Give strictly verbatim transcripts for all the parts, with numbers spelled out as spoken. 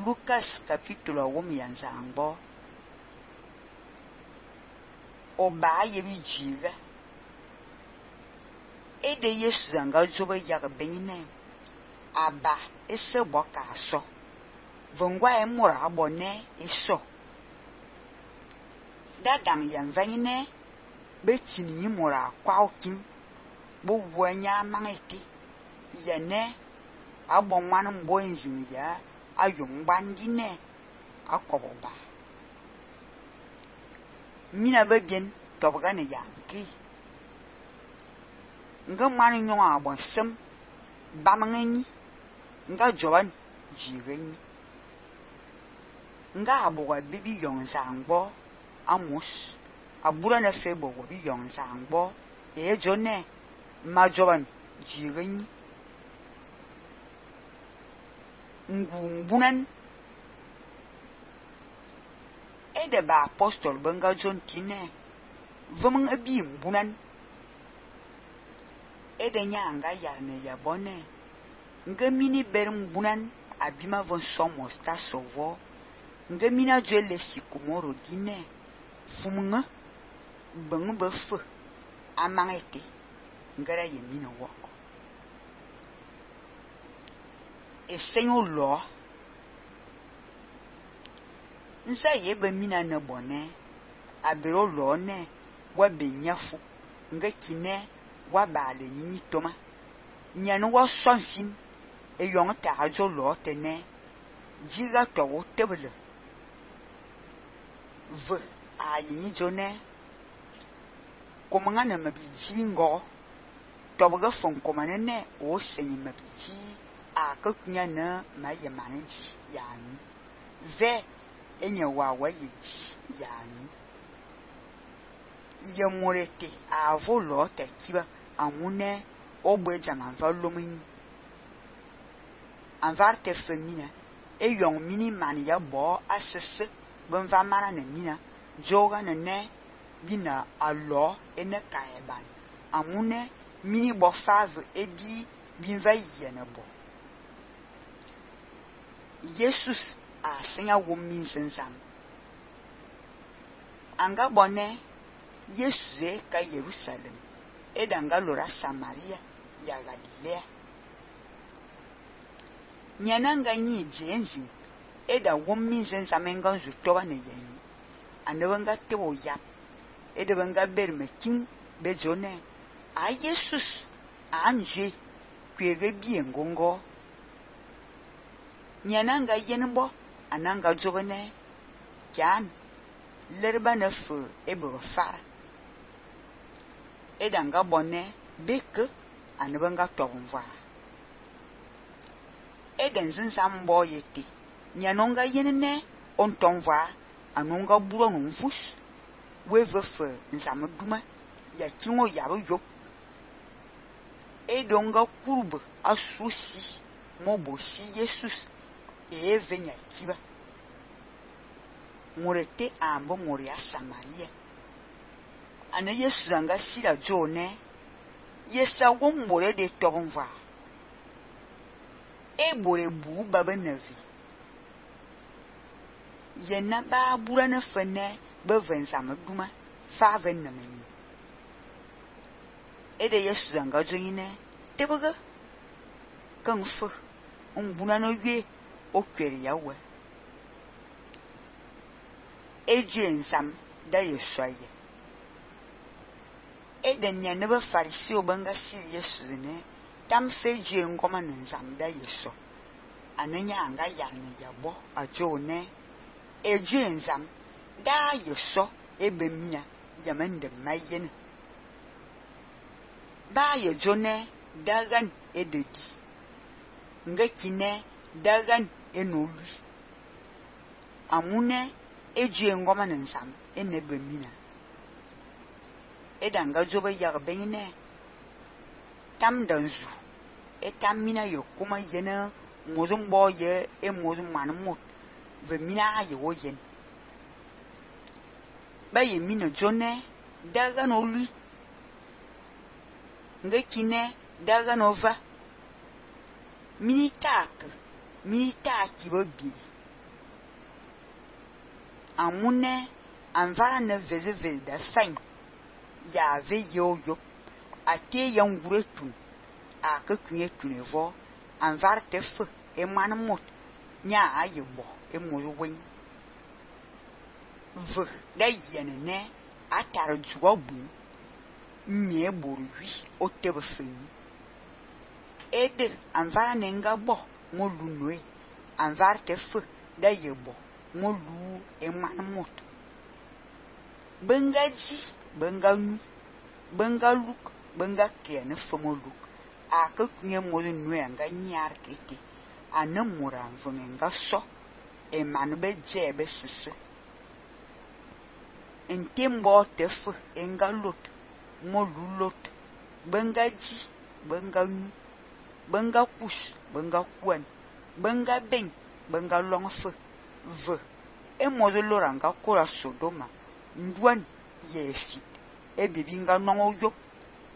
Lucas capítulo wom yanzangbo oba yebi jiga ede Yesu zanga joba yaga benine aba ese boka so vongwa emura abone eso dadang yan vanine betini mura kwa okin bo wanya mangeti yene abon wan mbo enjin ya ayum bandine akoboba mina bebien tobga ne yanki nga manu nyon abon sem bamangani nga joban jireni nga aboga bibi yonzangbo amos abura na febo bi yonzangbo e jone ma joban jireni ngumbunan ede ba apostol benga John tine vumang abi mbunan ede nyanga yarne yabone nga mini berum bunan abima von somos ta sovo nga mina jwele sikumoro dine fumunga bangu befu amangete ngara yemino woko e senyo lo nsa yebe mina na bone abiro lo ne wa benyafu nga kine wa bale ni toma nyanu wa sonfin e yon ta ajo lo tene jiga to wo tebele v a yini jone komanga na mabiji ngo to boga fon komane ne o senyi mabiji a ka kunya na maye manji yani ve enye wa wa yiji yani ye morete a volo te kiba amune ogbe jaman va lomin anvarte femina e yon mini mani ya bo asese ben va mana ne mina joga ne ne bina alo ene kaeban amune mini bo fave edi bin va yene bo Jesus a senya wo min sensam anga bone Jesus e ka Jerusalem e danga lora Samaria ya Galilea nyananga nyi jenji e da wo min sensam enga zutoba ne yeni anewanga tewo yap e de banga berme king bejone a Jesus anje kwege biengongo nyananga yenbo ananga jobane kyan lerba na fu ebo fara edanga bonne beke anebanga tobunva eden zinsambo yeti nyanonga yenene ontonva anonga buro nfus wevefe nsamduma ya kinwo yabo yo edonga kurub asusi mobosi Jesus e venya kiba murete ambo muria Samaria ana Yesu zanga sila jone yesa wombore de tobonva e bore bu baba navi yena ba bura na fene beven samduma fa ven na meni e de Yesu zanga joine teboga kan fu umbuna no ye okwere yawe eje nsam da yesoye eden nya ne ba farisi obanga siri Yesu ne tam feje ngoma nsam da yeso ananya anga yarne yabo ajo ne eje nsam da yeso ebemina yamende mayen ba ye jone dagan ededi nga kine dagan enolu amune eje ngoma nsam enebemina edanga joba yag benine tam danzu etamina yokuma yena mozum boye e mozum manmut vemina ye woyen baye mina jone dagan olu nga kine dagan ova mini tak mini taki bobi amune anvara ne veze veze da fain ya ve yo yo ate yan gure tun a ka kunye tun evo anvar te fe e man mot nya aye bo e mo wen v da yene ne atara juwa bu mie boru wi o te be feni ede anvara ne nga bo mo lu noe anvar te fe da ye bo mo lu e man mot benga ji benga nu benga luk benga ke ne fe mo luk a ka kunye mo noe anga nyar kete ana mura mvunge nga so e man be je be sese entembo te fe enga lot mo lu lot benga ji benga nu benga kus benga kwan benga ben benga long fe v e mo de loranga kora sodoma ndwan ye fit e bibinga no yo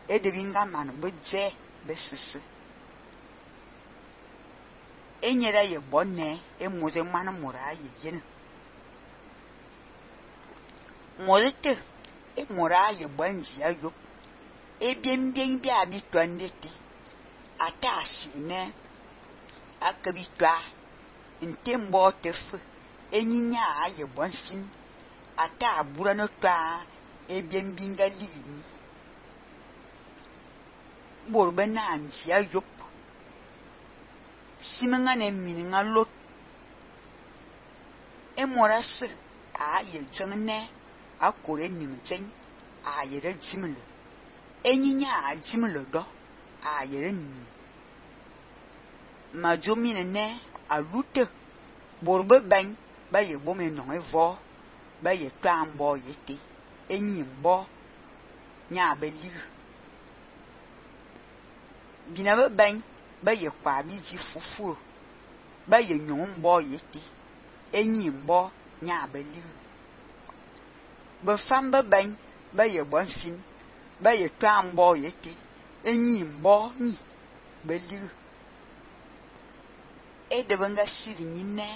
e de binga man be je be sese enyera ye bonne e mo de man mura ye yin mo de te e mura ye banji ayo e bien bien bi abi twandete ata asine akabitwa ntembo tefu enyinya aye bonfin ata abura no twa e bien binga lini borbe na anji ayo simenga ne mininga lot e morase aye jengne akore nimchen aye re jimle enyinya ajimle do aye ni majomine ne alute borbe ban ba ye bome no evo ba ye twambo yete enyimbo nya beli binabe ban ba ye kwa biji fufu ba ye nyombo yete enyimbo nya beli be famba ban ba ye bonfin ba ye twambo yete enyimbo ni beli e de banga siri nyine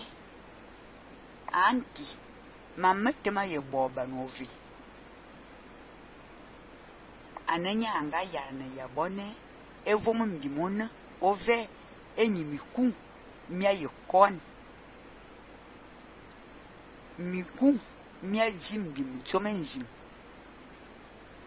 anti mamete ma ye boba novi ananya anga yana ya bone evo mbimona ove enyimiku mia ye kon miku mia jimbi mchomenzim